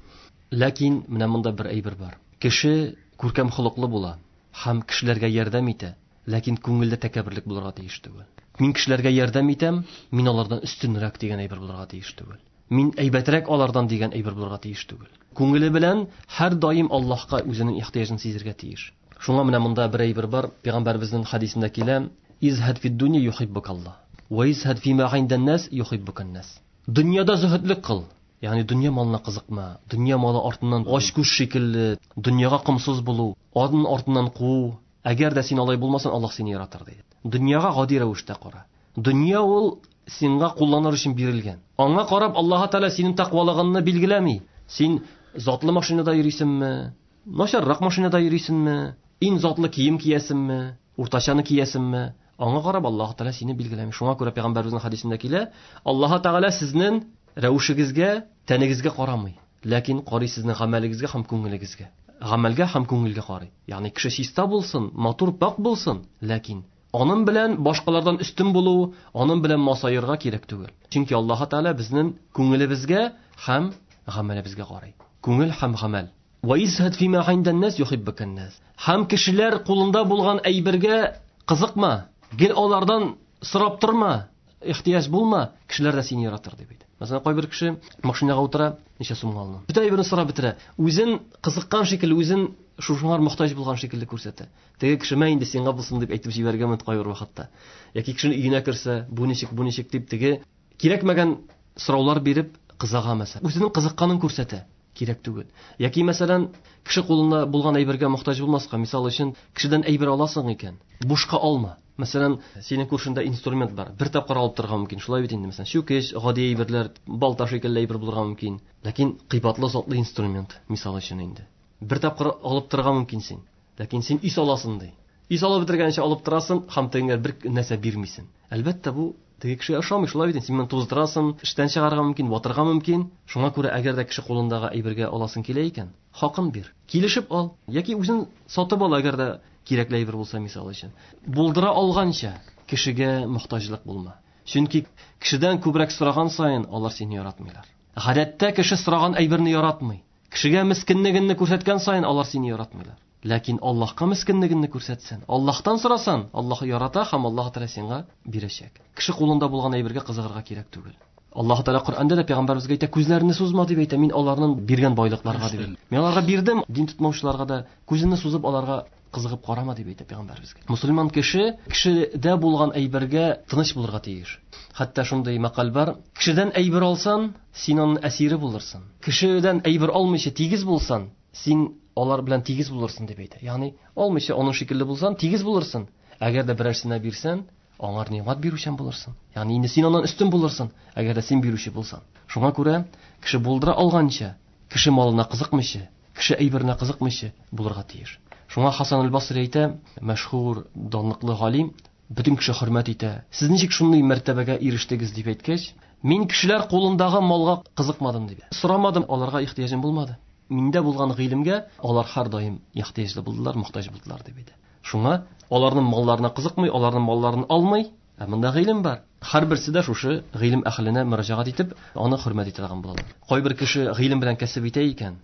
Ләкин менә монда бер әйбер бар. Кеше күркәм холыклы була һәм кешеләргә ярдәм итә, ләкин күңелдә тәкәбберлек булырга тиеш түгел. Мин кешеләргә ярдәм итәм, мин алардан өстенрәк дигән әйбер булырга тиеш түгел. Мин әйбәтрәк алардан дигән әйбер булырга тиеш түгел. Күңеле белән һәр даим Аллаһка үзенең ихтыяҗын сизергә тиеш. Шуңа менә монда бер әйбер бар. Пәйгамбәребезнең хадисендә килә: "Изһад фид дунья юхиббукаллаһ, ва изһад фима индан нас юхиббукан нас." Дөньяда зөһедлек кыл. Ягъни дөнья малына кызыкма, дөнья малы артыннан ач күз шикелле, дөньяга комсыз булу, аның артыннан куу. Әгәр дә син алай булмасаң, Аллаһ сине яратыр диде. Дөньяга гади рәвештә кара. Дөнья ул сиңа кулланыр өчен бирелгән. Аңа карап Аллаһ Тәгалә синең тәкъвалыгыңны билгеләми. Син затлы машинада йөрисеңме, начаррак машинада йөрисеңме, иң затлы кием киясеңме, уртачаны киясеңме? Аңа карап Аллаһ Тәгалә сине билгеләми. Шуңа күрә Пәйгамбәребезнең хадисендә килә: Аллаһ Тәгалә сезнең рәвешегезгә, тәнегезгә карамый, ләкин карый сезнең гамәлегезгә һәм күңелегезгә. Гамәлгә һәм күңелгә карый. Ягъни кеше чиста булсын, матур, пак булсын, ләкин аның белән башкалардан өстен булу, аның белән масаерга кирәк түгел. Чөнки Аллаһ Тәгалә безнең күңелебезгә һәм гамәлебезгә карый. Күңел һәм гамәл. Ва изһад фима индан нас юхиббукан нас. Һәм кешеләр кулында булган әйбергә кызыкма, гел алардан сорап торма, ихтыяҗ булма, кешеләр дә сине яратыр дип әйтә. Мәсәлән, кайбер кеше машинага утыра, ничә сумга алына. Бөтен әйберне сорап бетерә. Үзен кызыккан шикелле, үзен шушыңар мохтаҗ булган шикелле күрсәтә. Теге кеше мә инде сиңа булсын дип әйтеп җибәргән мөмкин кайбер вакытта. Яки кешенең өенә керсә, бу ничек, бу ничек дип теге кирәкмәгән сораулар биреп кызыга мәсәлән. Үзенең кызыкканын күрсәтә. Кирәк түгел. Яки, мәсәлән, кеше кулында булган әйбергә мохтаҗ булмаска. Мисал өчен, кешедән әйбер аласың икән, бушка алма. Мәсәлән, синең күршеңдә инструмент бар, бер тапкыр алып торырга мөмкин. Шулай бит инде, мәсәлән, чүкеч, гади әйберләр, балта шикелле әйбер булырга мөмкин. Ләкин кыйбатлы затлы инструмент, мисал өчен инде. Бер тапкыр алып торырга мөмкин син. Ләкин син ис аласың ди. Ис алып бетергәнчә алып торасың һәм тегеңә бер нәрсә бирмисең. Әлбәттә, бу теге кешегә ошамый, шулай бит инде. Син моны туздырасың, эштән чыгарырга мөмкин, ватырга мөмкин. Шуңа күрә әгәр дә кеше кулындагы әйбергә аласың килә икән, хакын бир. Килешеп ал яки үзең сатып ал, әгәр дә кирәкле әйбер булса, мисал өчен. Булдыра алганча кешегә мохтаҗлык булма. Чөнки кешедән күбрәк сораган саен алар сине яратмыйлар. Гадәттә кеше сораган әйберне яратмый. Кешегә мискинлегеңне күрсәткән саен алар сине яратмыйлар. Ләкин Аллаһка мискинлегеңне күрсәтсән, Аллаһтан сорасан, Аллаһ ярата һәм Аллаһ Тәгалә сиңа бирәчәк. Кеше кулында булган әйбергә кызыгырга кирәк түгел. Аллаһ Тәгалә Коръәндә дә пәйгамбәребезгә әйтә, күзләреңне сузма дип әйтә, мин аларның биргән байлыкларга дип. Мин аларга бирдем, дин тотмаучыларга да күзеңне сузып аларга кызыгып карама дип әйтә пәйгамбәребезгә. Мусульман кеше кешедә булган әйбергә тыныч булырга тиеш. Хәтта шундый мәкаль бар: кешедән әйбер алсан, син аның әсире булырсың. Кешедән әйбер алмыйча тигез булсан, син алар белән тигез булырсың дип әйтә. Ягъни алмыйча аның шикелле булсан, тигез булырсың. Әгәр дә берәрсенә бирсән, аңар нигъмәт бирүчән булырсың. Ягъни инде син аннан өстен булырсың, әгәр дә син бирүче булсаң. Шуңа күрә кеше булдыра алганча, кеше малына кызыкмыйча, кеше әйберенә кызыкмыйча булырга тиеш. Шуңа Хасан аль-Басри әйтә, мәшһүр, данлыклы галим, бөтен кеше хөрмәт итә. Сез ничек шундый мәртәбәгә ирештегез дип әйткәч, мин кешеләр кулындагы малга кызыкмадым дип. Сорамадым, аларга ихтыяҗым булмады. Миндә булган гыйлемгә алар һәр даим ихтыяҗлы булдылар, мохтаҗ булдылар дип әйтә. Шуңа аларның малларына кызыкмый, аларның малларын алмый, ә монда гыйлем бар. Һәрберсе дә шушы гыйлем әһленә мөрәҗәгать итеп, аны хөрмәт итә торган булалар. Кайбер кеше гыйлем белән кәсеп итә икән,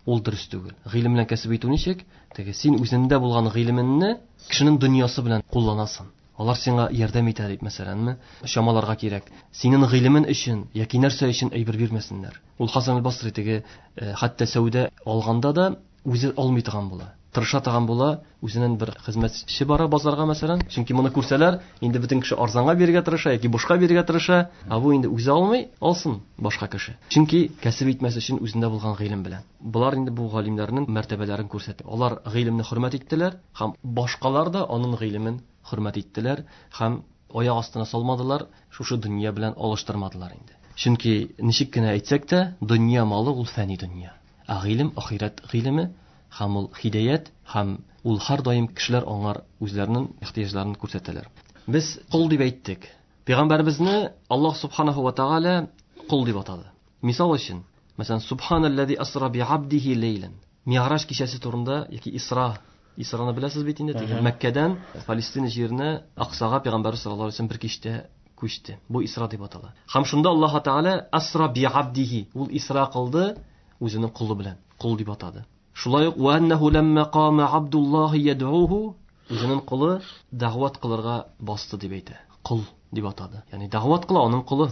ул дөрес түгел. Гыйлем белән кәсеп итү ничек? Теге син үзеңдә булган гыйлемеңне кешенең дөньясы белән кулланасың. Алар сиңа ярдәм итә дип, мәсәләнме, чамаларга кирәк. Синең гыйлемен өчен яки нәрсә өчен әйбер бирмәсеннәр. Ул Хасан аль-Басри теге, хәтта сәүдә алганда да үзе алмый торган була. Тырыша торган була, үзенең бер хезмәтче бара базарга, мәсәлән. Чөнки моны күрсәләр, инде бөтен кеше арзанга бирергә тырыша яки бушка бирергә тырыша, ә бу инде үзе алмый, алсын башка кеше. Чөнки кәсеп итмәс өчен үзендә булган гыйлем белән. Болар инде бу галимнәрнең мәртәбәләрен күрсәтә. Алар гыйлемне хөрмәт иттеләр һәм башкалар да аның гыйлемен хөрмәт иттеләр һәм аяк астына салмадылар, шушы дөнья белән алыштырмадылар инде. Чөнки ничек кенә әйтсәк тә, дөнья малы ул фәни дөнья. Ә гыйлем ахирәт гыйлеме һәм ул хидаят һәм ул һәр даим кешеләр аңар үзләренең ихтыяҗларын күрсәтәләр. Без кол дип әйттек. Пәйгамбәребезне Аллаһ субханаһу ва тааля кол дип атады. Мисал өчен, мәсәлән, субханаллази асра би абдихи лейлан. Ми'раж кичәсе турында яки Исра, Исраны беләсез бит инде, теге Мәккәдән Палестина җиренә Аксага пәйгамбәр саллаллаһу алейһи ва сәлләм бер кичтә күчте. Бу Исра дип атала. Һәм шунда Аллаһ Тааля асра би абдихи, ул Исра кылды үзенең колы белән, кол дип атады. Шулай ук ва аннаху ламма кама Абдуллаһи яд'уһу, үзенең колы дәгъват кылырга басты дип әйтә. Кол дип атады. Ягъни дәгъват кыла аның колы.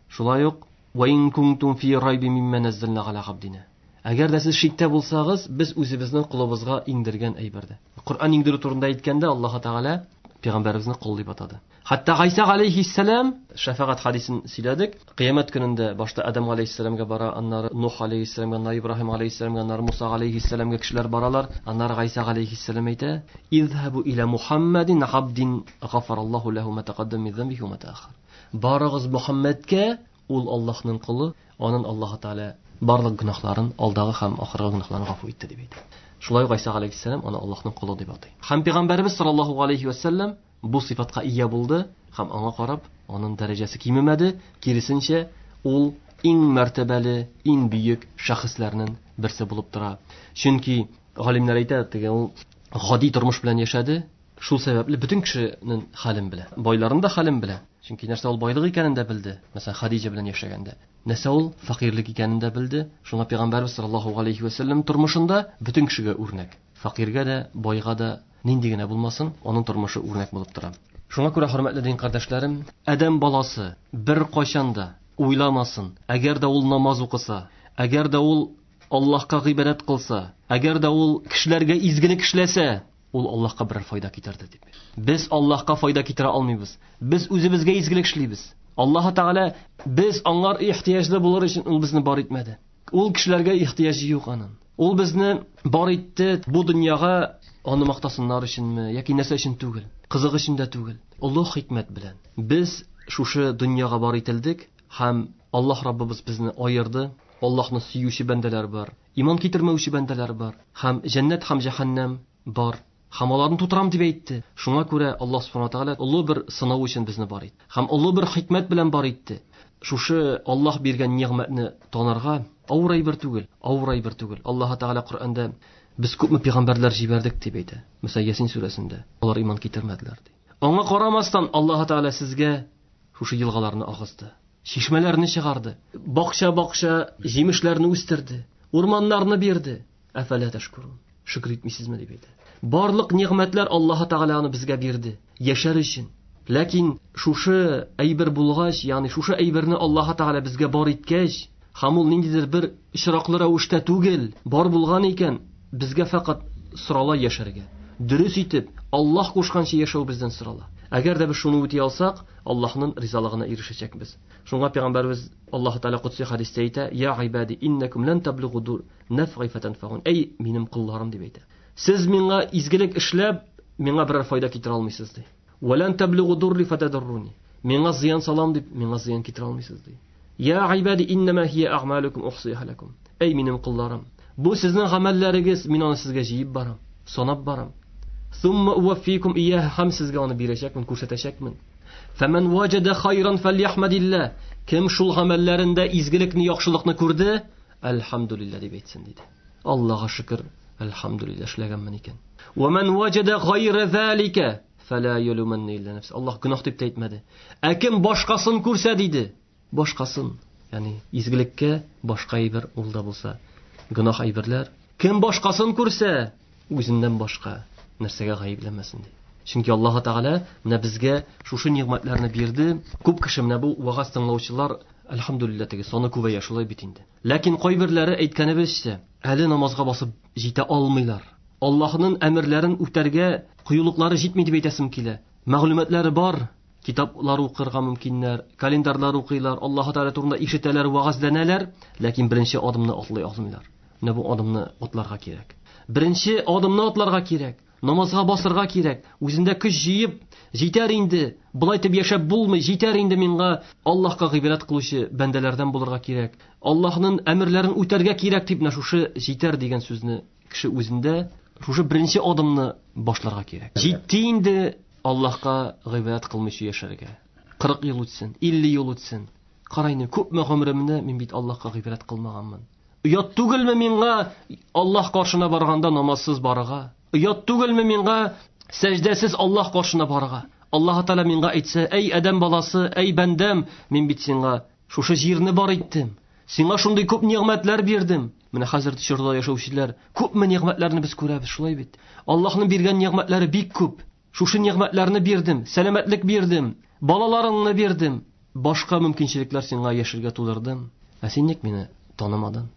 Шулай ук ва ин кунтум фи райбин мимма наззална аля абдина. Әгәр дә сез шиктә булсагыз, без үзебезнең колыбызга иңдергән әйберде. Коръән иңдерү турында әйткәндә Аллаһ Тәгалә пәйгамбәребезне кол дип атады. Хәтта Гайса алейһиссәлам шәфәгать хадисен сөйләдек. Кыямәт көнендә башта Адам алейһиссәламгә бара, аннары Нух алейһиссәламгә, аннары Ибраһим алейһиссәламгә, аннары Муса алейһиссәламгә кешеләр баралар. Аннары Гайса алейһиссәлам әйтә: "Изһабу иля Мухаммадин абдин гафараллаһу лаху ма тaqaddama мин замбихи ва ма тааххар." Барыгыз Мухаммадка, ул Аллаһның колы, анын Аллаһ Тәгалә барлык гөнаһларын, алдагы һәм ахыргы гөнаһларын гафу итте дип әйтә. Шулай ук Гайса алейһиссәлам аны Аллаһның колы дип атый. Һәм пәйгамбәребез саллаллаһу алейһи ва сәлләм бу сыйфатка ия булды һәм аңа карап аның дәрәҗәсе кимемәде, киресенчә ул иң мәртәбәле, иң бөек шәхесләрнең берсе булып тора. Чөнки галимнәр әйтә, теге ул гади тормыш белән яшәде, шул сәбәпле бөтен кешенең хәлен белә, байларның да хәлен белә. Чөнки нәрсә ул байлык икәнен дә белде, мәсәлән, Хадиҗа белән яшәгәндә. Нәрсә ул фәкыйрьлек икәнен дә белде. Шуңа пәйгамбәрбез саллаллаһу алейһи ва сәлләм тормышында бөтен кешегә үрнәк. Фәкыйрьгә дә, байга да, нинди генә булмасын, аның тормышы үрнәк булып тора. Шуңа күрә, хөрмәтле дин кардәшләрем, адәм баласы бер кайчан да уйламасын, әгәр дә ул намаз укыса, әгәр дә ул Аллаһка гыйбадәт кылса, әгәр дә ул кешеләргә изгелек эшләсә, ул Аллаһка берәр файда китерде дип. Без Аллаһка файда китерә алмыйбыз. Без үзебезгә изгелек эшлибез. Аллаһ Тәгалә без аңар ихтыяҗлы булыр өчен ул безне бар итмәде. Ул кешеләргә ихтыяҗы юк аның. Ул безне бар итте бу дөньяга аны мактасыннар өченме, яки нәрсә өчен түгел, кызык өчен дә түгел. Олы хикмәт белән без шушы дөньяга бар ителдек һәм Аллаһ Раббыбыз безне аерды. Аллаһны сөюче бәндәләр бар, иман китермәүче бәндәләр бар, һәм җәннәт һәм җәһәннәм бар. Һәм аларны тутырам дип әйтте. Шуңа күрә Аллаһ субхана ва тааля олы бер сынау өчен безне бар итте. Һәм олы бер хикмәт белән бар итте. Шушы Аллаһ биргән нигъмәтне танырга авыр әйбер түгел, авыр әйбер түгел. Аллаһ Тааля Коръәндә без күпме пәйгамбәрләр җибәрдек дип әйтә. Мәсәлән, Ясин сүрәсендә алар иман китермәделәр ди. Аңа карамастан Аллаһ Тааля сезгә шушы елгаларны агызды, чишмәләрне чыгарды, бакча-бакча җимешләрне үстерде, урманнарны бирде. Әфәлә тәшкурун. Шөкер итмисезме дип әйтә. Барлык нигъмәтләр Аллаһ Тааля аны безгә бирде, яшәр өчен. Ләкин шушы әйбер булгач, ягъни шушы әйберне Аллаһ Тааля безгә бар иткәч, һәм ул ниндидер бер очраклы рәвештә түгел, бар булган икән, безгә фәкать сорала яшәргә. Дөрес итеп, Аллаһ кушканча яшәү бездән сорала. Әгәр дә без шуны үти алсак, Аллаһның ризалыгына ирешәчәкбез. Шуңа пәйгамбәрбез Аллаһ Тааля кудси хәдистә әйтә: "Я гыйбади, иннакум лан таблугу нафгы фатанфаун." Әй минем колларым дип әйтә. Сез миңа изгелек эшләп, миңа берәр файда китерә алмыйсыз ди. Ва лан таблугу дурри фатадурруни. Миңа зыян салам дип, миңа зыян китерә алмыйсыз ди. Я гыйбади, иннама хия а'малукум ухсиха лакум. Әй минем колларым, бу сезнең гамәлләрегез, мин аны сезгә җыеп барам, санап барам. Сумма уаффикум ияһа, һәм сезгә аны бирәчәкмен, күрсәтәчәкмен. Фәмән ваҗада хайран фәльяхмадилла. Кем шул гамәлләрендә изгелекне, яхшылыкны күрде, әлхәмдүлилләһ дип әйтсен диде. Аллаһка шөкер, әлхәмдүлилләһ эшләгәнмен икән. Ва ман ваҗада гайра залика фәла ялуманна илля нафс. Аллаһ гөнаһ дип тә әйтмәде. Ә кем башкасын күрсә диде, башкасын, ягъни изгелеккә башка әйбер ул да булса, гөнаһ әйберләр. Кем башкасын күрсә, үзеннән башка нәрсәгә гаепләмәсен ди. Чөнки Аллаһ Тааля менә безгә шушы нигъмәтләрне бирде. Күп кеше менә бу вагаз тыңлаучылар, әлхәмдүлилләһ, теге саны күбәя шулай бит инде. Ләкин кайберләре әйткәнебезчә, әле намазга басып җитә алмыйлар. Аллаһның әмерләрен үтәргә кыюлыклары җитми дип әйтәсем килә. Мәгълүматлары бар, китаплар укырга мөмкиннәр, календарьлар укыйлар, Аллаһ Тааля турында ишетәләр, вагазләнәләр, ләкин беренче адымны атлый алмыйлар. Менә бу адымны атларга кирәк. Беренче адымны атларга кирәк. Намазга басырга кирәк. Үзендә көч җыеп, җитәр инде. Болай итеп яшәп булмый, җитәр инде миңа Аллаһка гыйбадәт кылучы бәндәләрдән булырга кирәк. Аллаһның әмерләрен үтәргә кирәк дип менә шушы җитәр дигән сүзне кеше үзендә шушы беренче адымны башларга кирәк. Җитте инде Аллаһка гыйбадәт кылмыйча яшәргә. Кырык ел үтсен, илле ел үтсен. Карайны, күпме гомеремне мин бит Аллаһка гыйбадәт кылмаганмын. Оят түгелме миңа Аллаһ каршына барганда намазсыз барырга? Оят түгелме миңа сәҗдәсез Аллаһ каршына барырга? Аллаһ Тааля миңа әйтсә: "Әй адәм баласы, әй бәндәм, мин бит сиңа шушы җирне бар иттем. Сиңа шундый күп нигъмәтләр бирдем." Менә хәзер чорда яшәүчеләр күпме нигъмәтләрне без күрәбез, шулай бит. Аллаһның биргән нигъмәтләре бик күп. Шушы нигъмәтләрне бирдем, сәламәтлек бирдем, балаларыңны бирдем, башка мөмкинчелекләр сиңа яшәргә тудырдым. Ә син ник мине танымадың?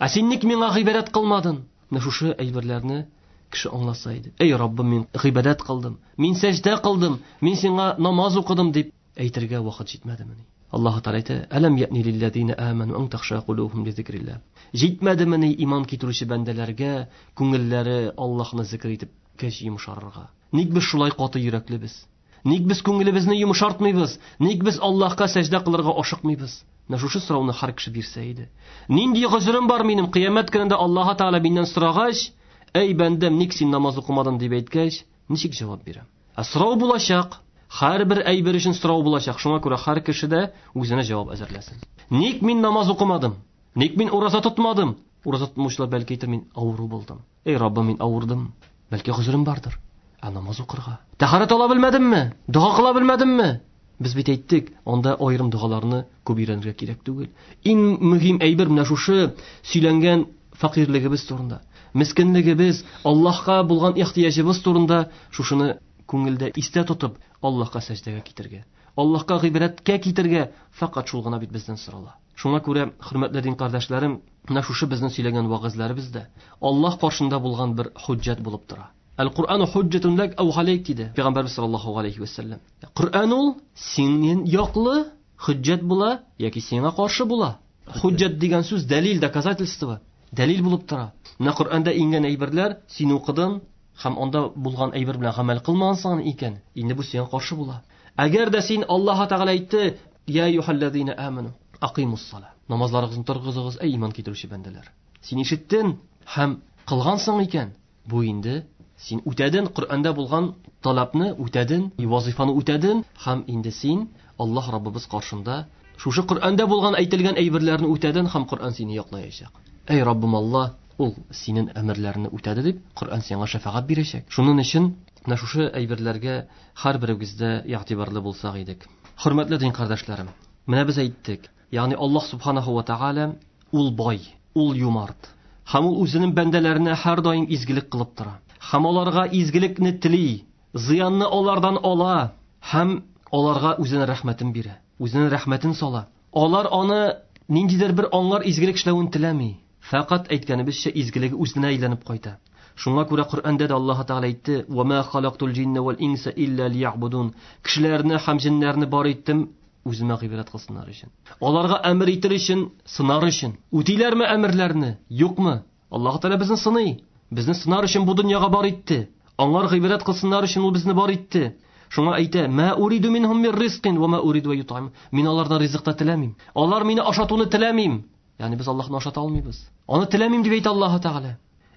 Ә син ник миңа гыйбадәт кылмадың? Менә шушы әйберләрне кеше аңласа иде. Эй Раббым, мин гыйбадәт кылдым, мин сәҗдә кылдым, мин сиңа намаз укыдым дип әйтергә вакыт җитмәдемени? Аллаһ Тааля әйтә: "Әләм яъни лилләзина аману ан тахша кулубухум ли зикрилlah." Җитмәдемени иман китерүче бәндәләргә күңелләре Аллаһны зикр итеп кәч йомшарырга? Ник без шулай каты йөрәклебез? Ник без күңелебезне йомшартмыйбыз? Ник без Аллаһка сәҗдә кылырга ашыкмыйбыз? Менә шушы сорауны һәр кеше бирсә иде. Нинди гозерем бар минем кыямәт көнендә Аллаһ Тааля миннән сорагач, "Әй бәндәм, ник син намаз укымадың?" дип әйткәч, ничек җавап бирәм? Ә сорау булачак. Һәрбер әйбер өчен сорау булачак. Шуңа күрә һәр кеше дә үзенә җавап әзерләсен. Ник мин намаз укымадым? Ник мин ураза тотмадым? Ураза тотмаучылар бәлки әйтер, мин авыру булдым. Эй Раббым, мин авырдым. Бәлки гозерем бардыр. Ә намаз укырга? Тәһарәт ала белмәдемме? Дога кыла белмәдемме? Без бит әйттек, анда аерым догаларны күп өйрәнергә кирәк түгел. Иң мөһим әйбер менә шушы сөйләнгән фәкыйрьлегебез турында, мискинлегебез, Аллаһка булган ихтыяҗыбыз турында шушыны күңелдә истә тотып, Аллаһка сәҗдәгә китергә, Аллаһка гыйбадәткә китергә фәкать шул гына бит бездән сорала. Шуңа күрә, хөрмәтле дин кардәшләрем, менә шушы безнең сөйләгән вагызларыбыз да Аллаһ каршында булган бер хуҗҗат булып тора. Әл-Куръану хуҗҗатун лак ау галейк диде Пәйгамбәрбез саллаллаһу алейхи ва саллям. Куръан ул синең яклы хуҗҗат була яки сиңа каршы була. Хуҗҗат дигән сүз дәлил, доказательство, дәлил булып тора. Менә Коръәндә иңгән әйберләр, син укыдың һәм анда булган әйбер белән гамәл кылмагансың икән, инде бу сиңа каршы була. Әгәр дә син Аллаһ Тәгалә әйтте: "Я юхаллазина аману, акимус-сала." Намазларыгызны торгызыгыз, эй иман китерүче бәндәләр. Син ишеттең һәм кылгансың икән, бу инде син үтәдең Коръәндә булган таләпне үтәдең, вазифаны үтәдең һәм инде син Аллаһ Раббыбыз каршында шушы Коръәндә булган әйтелгән әйберләрне үтәдең һәм Коръән сине яклаячак. Эй Раббым Аллаһ, ул синең әмерләреңне үтәде дип Коръән сиңа шәфәгать бирәчәк. Шуның өчен менә шушы әйберләргә һәрберебездә игътибарлы булсак идек. Хөрмәтле дин кардәшләрем, менә без әйттек, ягъни Аллаһ субханаһу ва тааля ул бай, ул юмарт. Һәм ул үзенең бәндәләренә һәрдаим изгелек кылып тора. Һәм аларга изгелекне тели, зыянны алардан ала һәм аларга үзенең рәхмәтен бирә, үзенең рәхмәтен сала. Алар аны ниндидер бер аңлар изгелек эшләвен теләми. Фақат әйткәнебезчә изгелеге үзенә әйләнеп кайта. Шуңа күрә Коръәндә дә Аллаһ Тәгалә әйтте: "Ва ма халактул җинна вал инса илля лиябудун." Кешеләрне һәм җиннәрне бар иттем үземә гыйбадәт кылсыннар өчен. Аларга әмер итер өчен, сынар өчен. Үтиләрме әмерләрне? Юкмы? Аллаһ Тәгалә безне сыный. Безне сынар өчен бу дөньяга бар итте. Аңар гыйбадәт кылсыннар өчен ул безне бар итте. Шуңа әйтә: "Ма уриду минһум мир ризкин ва ма уриду ютам." Мин алардан ризык та теләмим. Алар мине ашатуны теләмим. Ягъни без Аллаһны ашата алмыйбыз. Аны теләмим дип әйтә Аллаһ Тәгалә.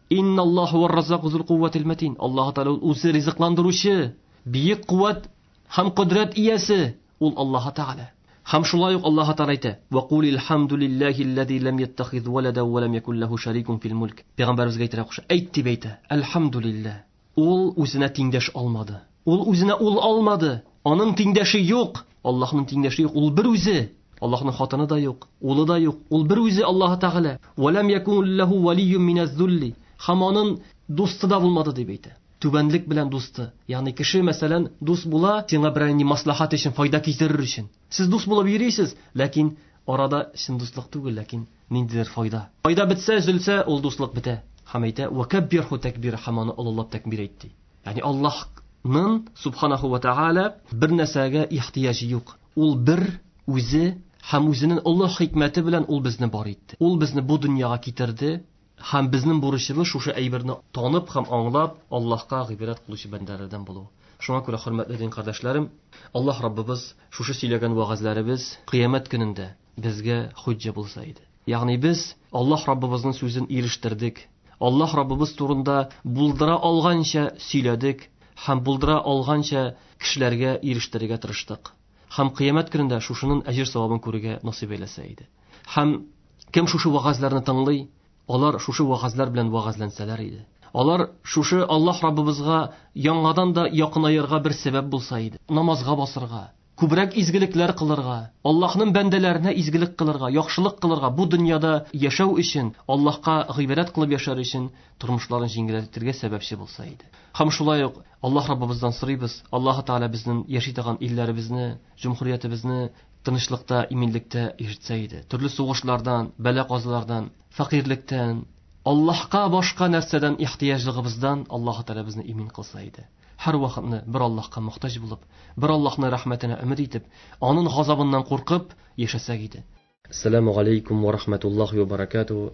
Инналлаһу вар-раззаку зул кувватил матин. Аллаһ Тәгалә үзе ризыкландыручы, бөек куәт һәм кодрәт иясе ул Аллаһ Тәгалә. Һәм шулай ук Аллаһ Тәгалә әйтә: "Ва кулил хамдулиллахи лам яттахиз валада ва лам якул лаху шарикун фил мулк." Пәйгамбәребезгә әйтә куша. Әйт дип әйтә: "Әлхәмдулиллаһ." Ул үзенә тиңдәш алмады. Ул үзенә ул алмады. Аның тиңдәше юк. Аллаһның тиңдәше юк. Ул бер үзе. Аллаһның хатыны да юк, улы да юк. Ул бер үзе Аллаһ Тәгалә. Ва лам якун лаху валийюн миназ-зулли. Һәм аның дусты да булмады дип әйтә. Түбәнлек белән дусты. Ягъни кеше мәсәлән дус була, сиңа берәр ни маслахат өчен, файда китерер өчен. Сез дус булып йөрисез, ләкин арада чын дуслык түгел, ләкин ниндидер файда. Файда бетсә, өзелсә, ул дуслык бетә. Һәм әйтә: "Ва каббирху такбира", һәм аны олылап тәкбир әйтте. Ягъни Аллаһның субханаху ва тааля бер нәрсәгә ихтыяҗы юк. Ул бер үзе һәм үзенең олы хикмәте белән ул безне бар итте. Ул безне бу дөньяга китерде. Һәм безнең бурычыбыз шушы әйберне танып һәм аңлап Аллаһка гыйбадәт кылучы бәндәләрдән булу. Шуңа күрә хөрмәтле дин кардәшләрем, Аллаһ Раббыбыз шушы сөйләгән вәгазьләребез кыямәт көнендә безгә хуҗа булса иде. Ягъни без Аллаһ Раббыбызның сүзен ирештердек. Аллаһ Раббыбыз турында булдыра алганча сөйләдек һәм булдыра алганча кешеләргә ирештерергә тырыштык. Һәм кыямәт көнендә шушының әҗер савабын күрергә насыйп әйләсә иде. Һәм кем шушы вәгазьләрне тыңлый, алар шушы вәгазьләр белән вәгазьләнсәләр иде. Алар шушы Аллаһ Раббыбызга яңадан да якынаерга бер сәбәп булса иде. Намазга басырга, күбрәк изгелекләр кылырга, Аллаһның бәндәләренә изгелек кылырга, яхшылык кылырга, бу дөньяда яшәү өчен, Аллаһка гыйбадәт кылып яшәр өчен тормышларын җиңеләйтергә сәбәпче булса иде. Һәм шулай ук Аллаһ Раббыбыздан сорыйбыз, Аллаһ Тәгалә безнең яши торган илләребезне, җөмһүриятебезне тынычлыкта, иминлектә яшәтсә иде. Төрле сугышлардан, бәла-казалардан, фәкыйрьлектән, Аллаһка башка нәрсәдән ихтыяҗлыгыбыздан Аллаһ Тәгалә безне имин кылса иде. Һәр вакытны бер Аллаһка мохтаҗ булып, бер Аллаһның рәхмәтенә өмид итеп, аның газабыннан куркып яшәсәк иде. Ассаламу алейкум ва рахматуллахи ва баракатуһу.